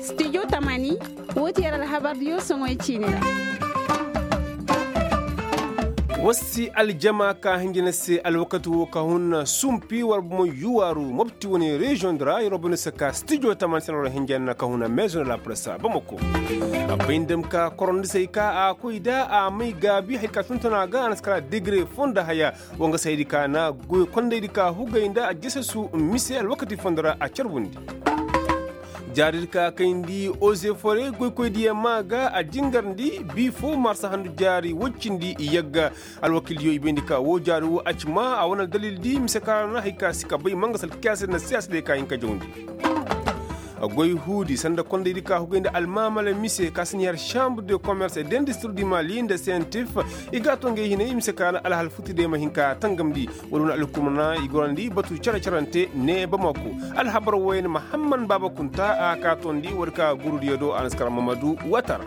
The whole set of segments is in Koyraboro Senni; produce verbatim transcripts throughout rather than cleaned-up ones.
Stijo tamani, woo ti yer alhabardiyo soŋoy ciini ra. War si aljama ka hinja ni se alwakati woo ka hun sumpi war bomo yuwaaru mopti wane reziyoŋ di ra yer wa bane se ka stijo tamani se na war hinja ni ka hun meezoŋ de la presa bamako. A bay nda ma ka korondi se ay ka a koy nda a may gaabi hari ka tonton a ga a na si kala degre foo nda haya. Woo nga se haydi ka na goy kondaydi ka hugay nda a jesesu mise alwakati fondo ra a carbundi. Jaaridi ka kayndi ozefore goykoydiyaŋ maa ga a jingarndi bii foo marsa handu jaari woy cindi yagga. Alwakildiyo i bayndi ka woo jaari woo a ci maa a wane aldalildi mise ka ra na hari ka si ka bay mangasa alkiyaasa nda siyaasa day ka hin ka jawndi. Goy huudi sanda kondaydi ka hugay nda almaamala mise ka si ni har chambre de commerce et d'industrie du mali nda sentif. I ga a to ngey hinay mise ka na alhal futi day ma hin ka tangamndi. Wala wane alhukumana i gorandi batu care carante ne bamako. Alhabar wooyaŋ mahamman baaba kunta a ka tondi war ka gurudiyo do a na si kara mamadu watara.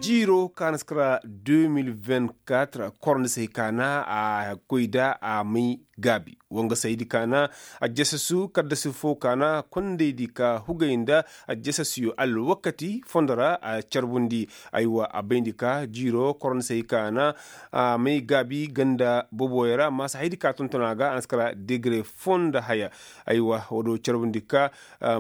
Jiiro ka na si kara deux mille vingt quatre korondi se hay ka na a koy nda a may gaabi. Woo nga se haydi ka na a jesesu kaddasi foo ka na kondaydi ka hugay nda a jesesiyo alwakati fondo ra a carbundi. Aywa a bayndi ka jiiro korondi se hay ka na a may gaabi ganda boboyo ra amma se haydi ka tonton a ga a na si kara degre foo nda haya. Aywa woo do carbundi ka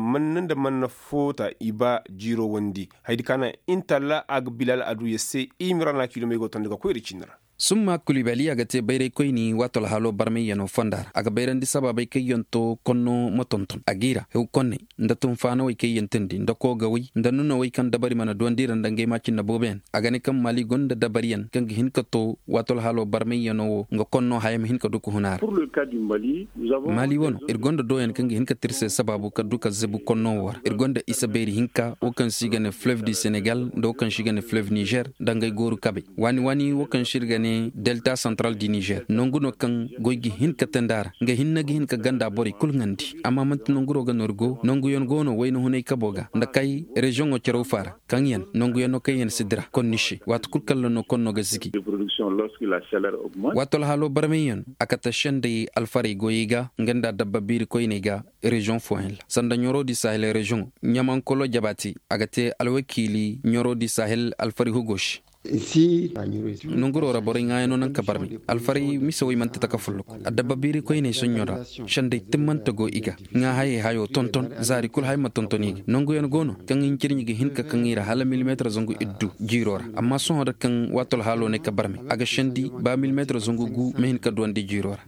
manna nda manna foo ta i ba jiiro wondi. Haydi ka na intalla a ga bilal a du yer se i ma ra na kiilomey go tondi ga koy nda ciini ra. Summa kulibali a ga te bayraykoyni waato alhaaloo barmayyanoo fonda ra a ga bayrandi sabaabey kaŋ yaŋ to konno ma tonton a g'i ra hew konney nda tunfaanawey kaŋ yaŋ teendi nda koogawey nda nunawey kaŋ dabari mana duwandi ra nda ngey maacinna booboyaŋ. A ga ne kaŋ maali gonda dabariyaŋ kaŋ ga hin ka to waato alhaaloo barmayyanoo wo nga konno haya ma hin ka du ka hun a ra. Maali wano ir gonda dooyaŋ kaŋ ga hin ka tir se sabaabu ka du ka zebu konno wo ra ir gonda isa beeri hinka wo kaŋ se i ga ne fleuve du senegal nda wo kaŋ se i ga ne fleuve nizer nda ngey gooru kabey waani waani wo kaŋ se ir ga ne delta central du nizer nangu no kaŋ goy ga hin ka teendi a ra nga hinne ga hin ka ganda borey kul ŋaandi amma man'ti nanguro ga no ir go nanguyaŋ go no wayna hunay kabo ga nda kay reziyoŋo caraw faara kaŋ yaŋ nanguyaŋ no kaŋ yaŋ si dira konni se waati kul kaŋ ra no konno ga zigi. Waato alhaaloo barmayyaŋ a kate sendey alfarey goyey ga nga nda dabba biiri koyney ga reziyoŋ fooyaŋ ra sanda ɲoroo di sahel reziyoŋo ɲamankoloo jabaati a ga te alwakiili ɲoroo di sahel alfari hugo se. Nanguroo ra borey ŋaayanoo naŋ ka barmay alfaray mise wey man'ti taka folloku adabba biiri koyney soɲɲo ra sendey timmante go i ga ŋaa hayey hayoo tonton zaari kul hay ma tonton i ga nanguyaŋ go no kaŋ hincirɲi ga hin ka kaŋ i ra hala milimeetar zangu iddu jiiroo ra amma sohõ da kaŋ waati alhaaloo ne ka barmay a ga sendi ba milimeetar zangu gu ma hin ka duwandi jiiroo ra.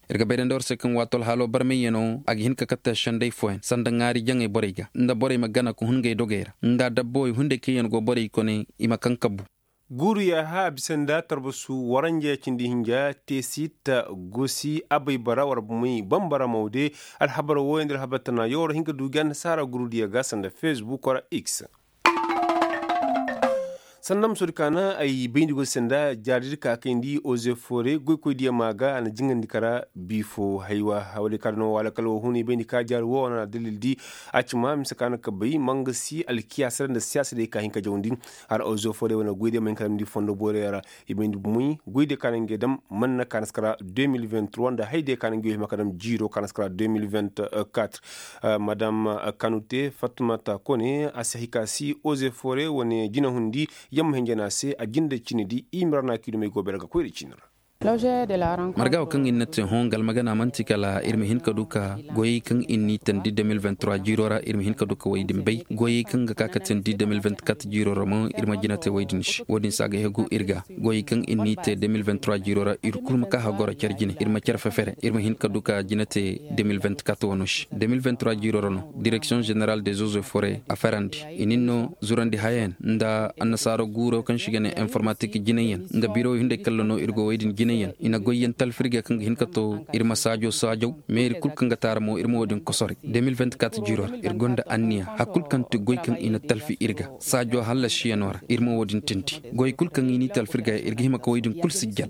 Ir ga bayrandi war se kaŋ waati alhaaloo barmayyanoo a ga hin ka katte sendey fooyaŋ sanda ŋaari jaŋey borey ga nda borey ma gana ka hun ngey dogey ra nda dabbawey hunday kaŋ yaŋ go borey kone i ma kaŋ kabbu. Guuru yaaha a bisa nda tarbasu waranja cindi hinja teesit gosi abay bara war bumey bambara mawde. Alhabar wooyaŋ nda alhabar tana yawar hin ka du ga annasaara gurudiya ga sanda fesbuk wara x. Sanda ma soodi ka na ay bayndi goy se nda jaari di ka kayndi oze foore goykoy diya ma ga a na jingandi kara biifo haywa. Wala ka dana wala kala wo huna i bayndi ka jaari wo wana dalil di a ci ma mise ka na ka bay manga si alkiyaasa nda siyaasa day ka hin ka jawandi. Har oze foore wana goy diya ma hin ka dam di fondo boore ra i bayndi bumey goy diya ka na ngey dam manna ka na si kara deux mille vingt trois nda hay diya ka na ngey hima ka dam jiiro ka na si kara deux mille vingt quatre. Madam kanute fatmata kone a si hay ka si oze foore wane jinahundi yamma hinjana se a jinde cine di i ma ra na kiilomey go bere ga koy da cine ra. Marga wo kaŋ ir na te hõ nga almagana man'ti kala ir ma hin ka du ka goyey kaŋ ir n'i teendi deux mille vingt trois jiiro ra ir ma hin ka du ka wey din bay goyey kaŋ ga ka ka teendi deux mille vingt quatre jiiro ra mo ir ma jina te wey din se wo- din se a ga hegu ir ga goyey kaŋ ir n'i te deux mille vingt trois jiiro ra ir kulu ma ka hagoro care jine ir ma care fefere ir ma hin ka du ka jina te deux mille vingt quatre wano se deux mille vingt trois jiiro ra no direksiyoŋ ženeral des eaux et foret a ferandi i nin no zurandi hayayaŋ nda annasaara guuro kaŋ se i ga ne informatik jinayyaŋ nda birow hunday kalla no ir go wey din jinayyaŋ i na goyyaŋ talfi ir ga kaŋ ga hin ka to ir ma saajo saajaw meeri kul kaŋ ga taara mo ir ma wo- din kosoray deux mille vingt quatre jiiro ra ir gonda anniya hari kul kaŋ ti goy kaŋ i na talfi ir ga saajo hallasiyanoo ra ir ma wo- din tindi goy kul kaŋ i n'i talfi ir ga ir ga hima ka wey din kul sijjan.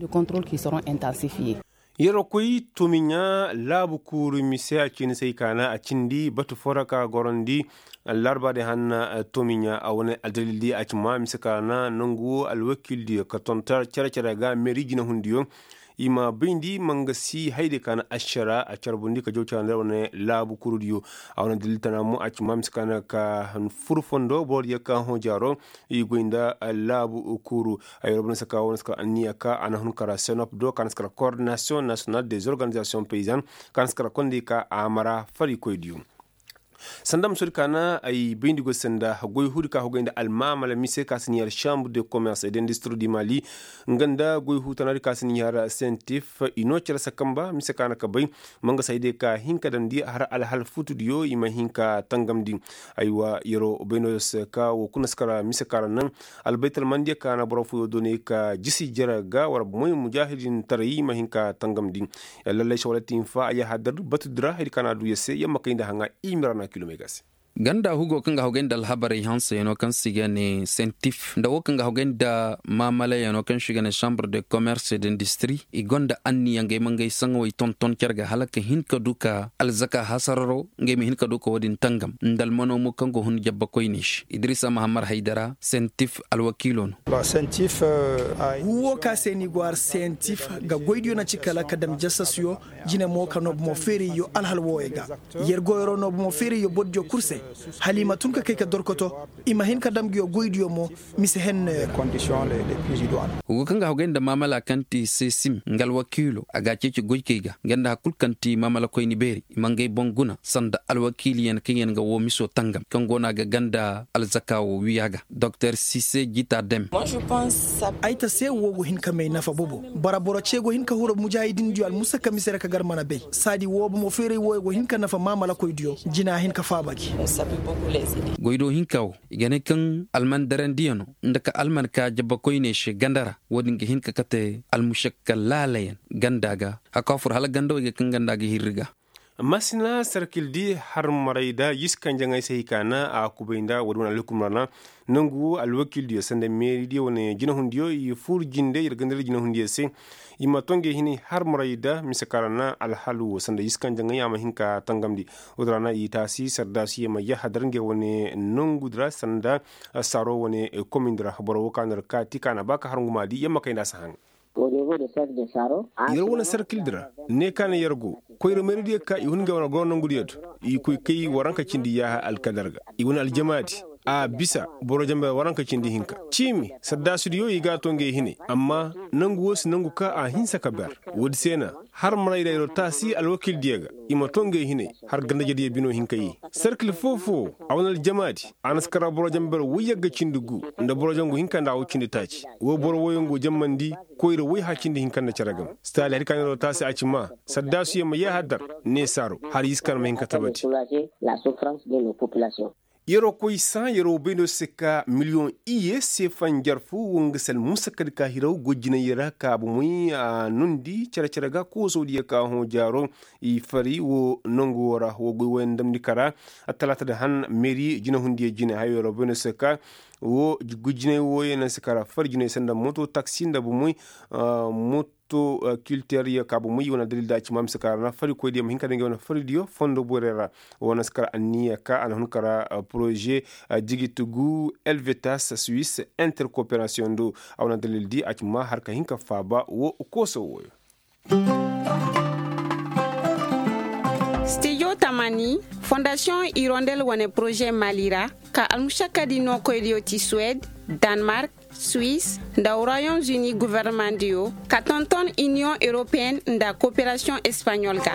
Yerwa koy tomiɲa laabu kuuru mise a ciini se ay kaana a cindi batu foo ra ka gorandi larba day hanna. Tomiɲa a wane aldalil di a ci ma mise kaana nangu wo alwakiil diyo ka tonton cere-cere ga meeri jinahundiyo. I ma bayndi mangasi hayde ka na ašara a carbundi ka jaw cara nda wane laabu kurudiyo. A wane dalil tana mo a ci ma mise ka na ka fur fondo borodiyo ka hõ jaaro. I goy nda laabu kuru. Ay robo na si ka wo na si kar anniya ka a na hun kara senop do ka na si kar koordinasiyoŋ nasiyonal des organizasiyoŋ payzan ka na si kar kondey ka a mara farikoydiyo. Sanda ma soodi ka na ay bayndi goy sanda goy huudi ka hogay nda almaamala mise ka si ni har chambre de commerce et d'industrie du mali. Nga nda goy huutanadi ka si ni har sentif i no cere sakamba mise ka na ka bay. Manga si ay day ka hin ka damndi har alhal futudiyo i ma hin ka tangamndi. Aywa yero bayno se ka wo kuna si kara mise ka ra naŋ. Albaytalmandiyo ka na boro fooyo doonay ka jisi jere ga war moy mujaahidintaray i ma hin ka tangamndi. Lallay sawalati hinfa a yahadar batudi ra haydi ka na a du yer se yer ma kay nda haŋa i ma ra na kilomey ga se. Ganda hugo kaŋ ga hogay nda alhabarey hanseyaŋo kaŋ se i ga ne sentif nda wo kaŋ ga hogay nda maamalayaŋo kaŋ se i ga ne chambre de commerce et d'industrie i gonda anniya ngey ma ngey saŋawey tonton care ga hala ka hin ka du ka alzaka hasararo ngey ma hin ka du ka wo-din tangam nda almano mo kaŋ go hun jabba koyney se idrisa mahammad haydara sentif alwakiilo no. Gu wo ka se ni go har sentif ga goydiyo na ci kala ka dam jasasuyo jine mo ka no bomo feerayyo alhal wooyo ga. Yer goyro no bomo feerayyo bordiyo kul se hala i ma tun ka kay ka dorkoto i ma hin ka dam nguyo goydiyo mo mise henno yer. Hugu kaŋ ga hogay nda maamala kaŋ ti sesim nga alwakiilo a ga a ceeci goykey ga nga nda hari kul kaŋ ti maamala koyni beeri i ma ngey boŋ guna sanda alwakiiliyaŋ kaŋ yaŋ ga woo miso tangam kaŋ go no a ga ganda alzaka woo wiya ga. Doktor sise jita dem. Ay ta se woo go hin ka may nafa bobo. Bara boro ce go hin ka huru mujaahidindiyo almusakka mise ra ka gar mana bay saadi woo bomo feeray wooyo go hin ka nafa maamalakoydiyo jina hin ka faaba gi. Goydo hinka woo i ga ne kaŋ almandarandiyano nda ka alman ka jabbakoyney se ganda ra. Woo din ga hin ka kate almušakka laalayaŋ ganda ga. Hakka fur hala ganda wey ga kaŋ ganda ga hirri ga. Masina sarkil di har maray da yiskanjaŋey se hay ka na a kubay nda woo din wane alhukum ra na. Nangu alwakildiyo sanda meeridiyo wane jinahundiyo i fur jinde yer ganda ra jinahundiyo se. I ma to ngey hinay har maray da mise ka ra na alhalu woo sanda yiskanjaŋey a ma hin ka tangamndi. Woo din ra na i taasi sardaasiyo ma yahadar ngey wane nangudi ra sanda saaro wane komindi ra boro woo ka no yer kaati ka na ba ka har nguma di yer ma kay nda a si haŋ. Yer wane sarkildi ra ne ka na yer go koyra mayridiyo ka i hun ngey wane goro nongudiyo do. I koy kay waranka cindi yaaha alkadar ga i wane aljamaadi a bisa boro jamber waranka cindi hinka ciimi sardaasudiyo i ga a to ngey hinay amma nangu woo si nangu ka a hinsa ka ber. Woodi se na har marayra yer wo taasi alwakildiyo ga i ma to ngey hinay har gandajediyo bino hinka yee. Sarkil foo-foo a wane aljamaadi a na si kara boro jamber woy yagga cindi gu nda boro jangu hinka nda a woy cindi taaci. Woo boro wooyaŋ go jammandi koyra woy hã cindi hinka nda cere game. Sitaali hari ka na yer wo taasi a ci maa saddaasuyaŋ ma yee haddar neesaaro har yiskan ma hin ka tabati. Yer wo koy sã yer wo bay no se ka miliyoŋ iyye seefa njarfu woo nga se almusakadi ka hiraw goy jinay ra ka bomey a nondi cere-cere ga koosodiyo ka hõ jaaro. I fari woo nongu woo ra woo goy wooyaŋ damndi kara. Attalaata da han meeri jinahundiyo jine hayo yer wo bay no se ka woo goy jinay wooyaŋ na se kara fari jinay sanda moto taksi nda bomey. Moto kilteryo ka bomey wane addalil da a ci ma mise ka ra na farikoydiyo ma hin ka daŋ ngey wane faridiyo fondo borey ra. Woo na si kar anniya ka a na hun kara poroze jigiti gu elvetas suis interkoperasiyoŋ do. A wane addalil di a ci ma har ka hin ka faaba woo kooso wooyo. Stijo tamani fondasiyoŋ irondel wane poroze mali ra ka almušakadi nookoydiyo ti suwed, danmark, suis, nda royaume-uni gofornomandiyo ka tonton iniyoŋ europeyenne nda koperasiyoŋ espaɲol ga.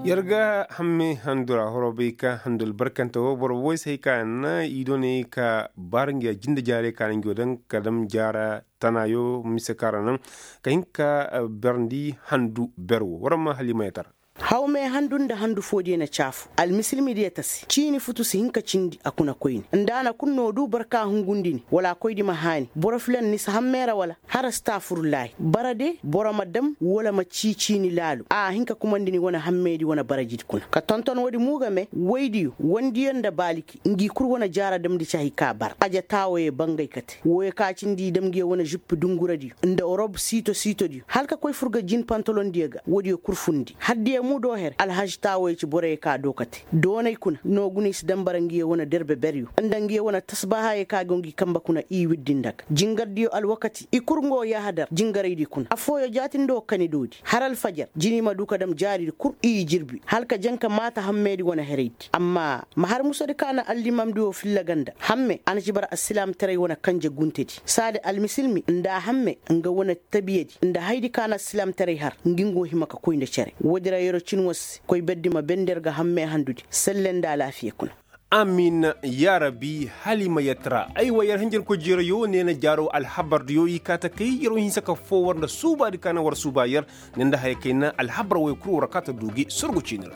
Yer ga hamme handu ra horo bay ka handu albarkante woo boro woy se hay ka na i doonay ka baara ngi a jinde jaarey ka na ngi woo daŋ ka dam jaara tanaayo mise ka ra naŋ ka hin ka berndi handu ber woo war ma halimayatara. Hawme handu nda handu foodiyo na caafu almisilmidiyo ta se ciini futu si hin ka cindi a kuna koyne nda a na kul no du boro ka hungundi ni wala a koydi ma haani boro filan ni si hammeera wala? Hara si taafurulaahi bara de boro ma dam wala ma cii ciini laalu a hin ka kumandi ni wane hammeedi wane barajidi kuna ka tonton woodi mo game woydiyo wandiyo nda baaliki ngi kul wane jaara damndi cahi ka bara aja taawoyo bangay kate wooyo ka cindi i dam ngiyo wane žippi dunguradiyo nda orob siito siitodiyo hala ka koy fur ga jin pantalondiyo ga woodiyo kul fundi haddiyo. Mudo her alhaži taawoyo ci boroyo ka do ka te doonay kuna noogu no i si dambara ngiyo wane derbe beryo nda ngiyo wane tasbahayo ka go ngi kanbe kuna i wirdi nda ga jingardiyo alwakati i kul ngo yahadar jingaraydi kuna affooyo jaatindi wo kani doodi har alfajar jini ma du ka dam jaaridi kul i jirbi hala ka janka maata hammeedi wane heraydi amma ma har musodi ka na allimamdi wo filla ganda hamme a na ci bara alsilaamtaray wane kanje guntedi saadi almisilmi nda hamme nga wane tabiyadi nda hayadi ka na alsilaamtaray har ngi ngo hima ka koy nda cere woodi ra yer'o cin wo se koy berdi ma bender ga hamme handudi selle nda alaafiya kuna. Amin. Yaa rabbi hala i ma yatara aywa yer hinjirkoy jeerayo neena jaaro alhabardiyo i kaa ta kay yer'o hinsa ka foo war nda suubaadi ka na war suuba yer ne nda haya kay na alhabar woy kul war kaa ta du gi sorgo ciini ra.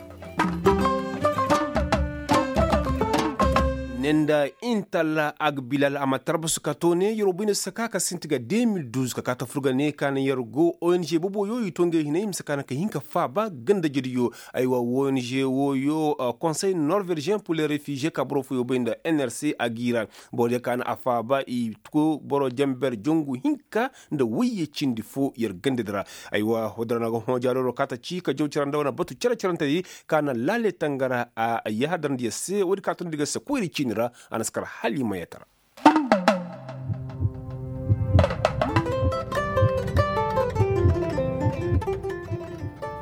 Ne nda intalla agbilal a ma tarbasu ka to ne yer'o bay nda saka ka sinti ga de mil duz ka kaa ta fur ga ne ka na yer go ong boboyo i to ngey hinay mise ka na ka hin ka faaba gandajediyo. Aywa ong wooyo konsey norvejien pur le refujiye ka boro fooyo bay nda nrc a g'i ra. Borodiyo ka na a faaba i go boro janber jangu hinka nda wayye cindi foo yer gandadi ra. Aywa woodi ra no a ga hõ jaaroro ka ta ci ka jaw cara nda wane batu cere-cerentedi ka na laale tangara a yahadarndiyo se woodi ka tondidi ga se koyri ciini ra. A na si kar hala i ma yatara.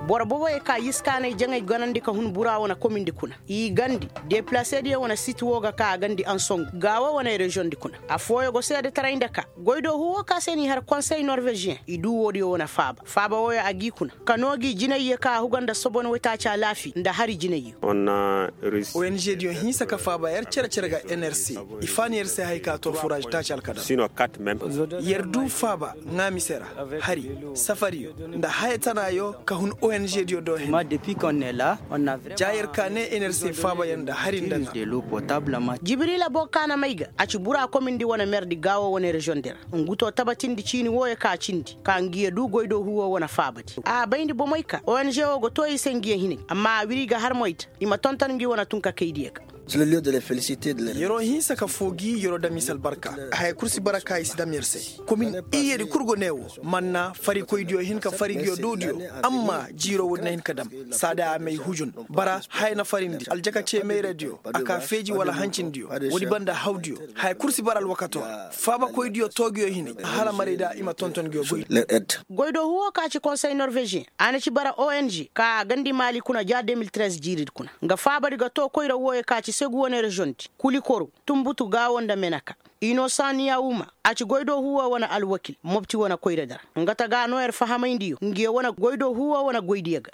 Boro boboyo ka yiskaanay jaŋay ganandi ka hun bura wane komindi kuna i gandi depilasediyo wane siti wo ga ka a gandi ansongu gaawo wane reziyoŋdi kuna affooyo go seedetaray nda ka goydoo huu wo ka se n'i har konsey norveziyeŋ i duu woodiyo wane faaba faaba wooyo a g'i kuna ka noo gi jinayyo ka a huga nda sobon waytaaci alaafi nda hari jinayyo. Ong diyo hinsa ka faaba yer cere-cere ga nrc i faani yer se haya ka to furaaz taaci alkadam yer duu faaba ŋaa mise ra hari safariyo nda haya tanaayo ka hun ong diyo do hene ja yer ka ne nrc faaba yer nda hari nda ŋaa. Jibrila boo ka na may ga a ci bura komindi wane merdi gaawo wane reziyoŋdi ra ngu to tabatindi ciini wooyo ka cindi ka ngiyo duu goydoo huu woo wane faabadi a bayndi bomey ka ong woo go too i se ngiyo hinay amma a wiri i ga har moy ta i ma tonton ngi wane tunkakaydiyo ga. Yer'o hinsa ka foo gi yer'o dam i se albarka haya kul si bara ka i si dam yer se komin iyyedi kul go ne woo manna farikoydiyo hin ka fari ngiyo doodiyo amma jiiroo woodi na hin ka dam saadi a may hujun bara haya na farindi aljaka cee mayradiyo a ka feeji wala hancindiyo woodi banda hawdiyo haya kul si bara alwakato ra faabakoydiyo too ngiyo hinay hala maray da i ma tonton ngiyo goy. Goydoo huu woo ka ci konsey norveziyeŋ a na ci bara ong ka a gandi maali kuna ja de mil trez jiiridi kuna nga faabadi ga too koyra wooyo ka ci segu wane reziyoŋdi kulikoro tunbutu gaawo nda meneka inosaŋ niyawuma a ci goydoo huu woo wane alwakil mopti wane koyradi ra nga ta ga a noo yer fahamayndiyo ngiyo wane goydoo huu woo wane goydiyo ga.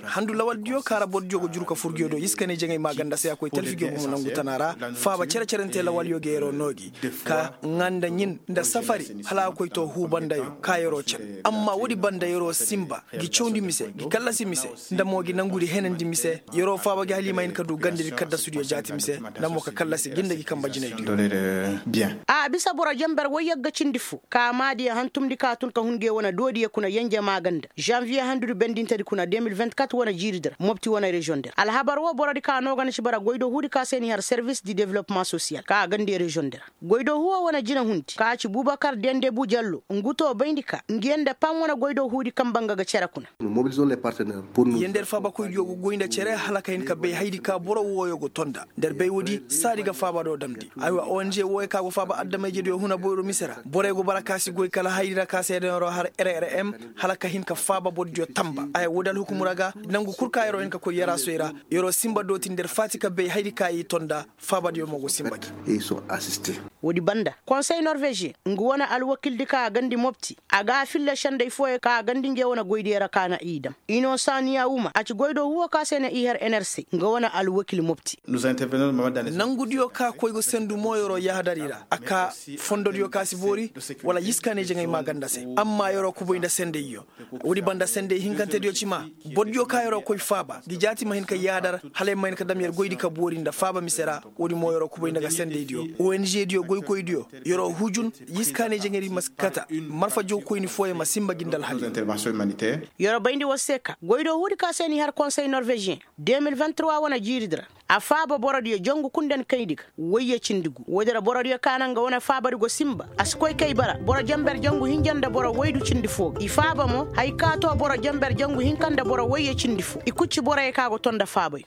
Handu lawaldiyo ka ra bordiyo go juru ka fur ngiyo do iskaney jaŋay maaganda se a koy talfigiyo bomo nangu tana ra faaba cere-cerente lawalyo ga yer'o noo gi ka ŋaa nda ɲin nda safari hala a koy to huu bandayo ka yer'o cen amma woodi banda yer'o sinba gi cawndi mise gi kallasi mise nda mo gi nangudi henandi mise yer'o faaba gi hala i ma hin ka du gandadi kaddasudiyo jaati mise nda mo ka kallasi gi nda gi kanba jinaydiyo. A bisa boro janber woy yagga cindi foo ka maadiyo hantumndi ka tun ka hun nge wane doodiyo kuna yenje maaganda zanviye handudi bendintedi kuna de mil vingt-kat wane jiiridi ra mopti wane reziyoŋdi ra alhabar woo borodi ka noo ga na ci bara goydoo huudi ka se n'i har servis di developmaŋ sosiyal ka a gandi reziyoŋdi ra goydoo huuwo wane jinahundi ka ci bubakar dendebu jallo ngu to bayndi ka ngiyaŋ nda pam wane goydoo huudi kanba nga ga cere kuna. Yer nda yer faabakoydiyo go goy nda cere hala ka hin ka bay hayadi ka boro wooyo go ton nd'a nda yer bay woodi saadi ga faaba do damndi aywa ong wooyo ka go faaba adama-ijediyo huna boyro mise ra borey go bara ka si goy kala hayadi ra ka se daŋ yer'o har rrm hala ka hin ka faaba borodiyo tanba aya woodi alhukum ra ga nangu kul ka yer'o hin ka koy yaraasoy ra yer'o sinba dooti nda yer faati ka bay hayadi ka i ton nd'a faabadiyo mo go sinba gi. Woodi banda konsey norveziyeŋ nga wane alwakildi ka a gandi mopti a ga a filla sendey fooyo ka a gandi nge wane goydiyo ra ka na i dam inosaŋ niyawuma a ci goydoo huuwo ka se na i har enerse nga wane alwakil mopti. Nangudiyo ka koy ga sendu mo yer'o yahadari ra a ka fondodiyo ka si boori wala yiskaaney jaŋay maaganda se amma yer'o kubay nda sendeyyo woodi banda sendey hinkantediyo ci ma bordiyo ka yer'o koy faaba ngi jaati ma hin ka yaadar hala yer ma hin ka dam yer goydi ka boori nda faaba mise ra woodi mo yer'o kubay nda ga sendeydiyo ong diyo goykoydiyo yer'o hujun yiskaaney jaŋaydi ma si kata marfa jawkoyni fooyaŋ ma sinba gi nda alhali. Yer'o bayndi war se ka goydoo huudi ka se n'i har konsey norveziyeŋ de mil vingt-trois wane jiiridi ra A faaba borodiyo jangu kundani kayndi ga wayye cindi gu woodi ra borodiyo ka na nga wane faabadi go sinba a si koy kay bara boro jenber jangu hinja nda boro waydu cindi foo ga i faaba mo haya ka too boro jenber jangu hinka nda boro wayye cindi foo i kul ci boroyo ka go too nda faabay.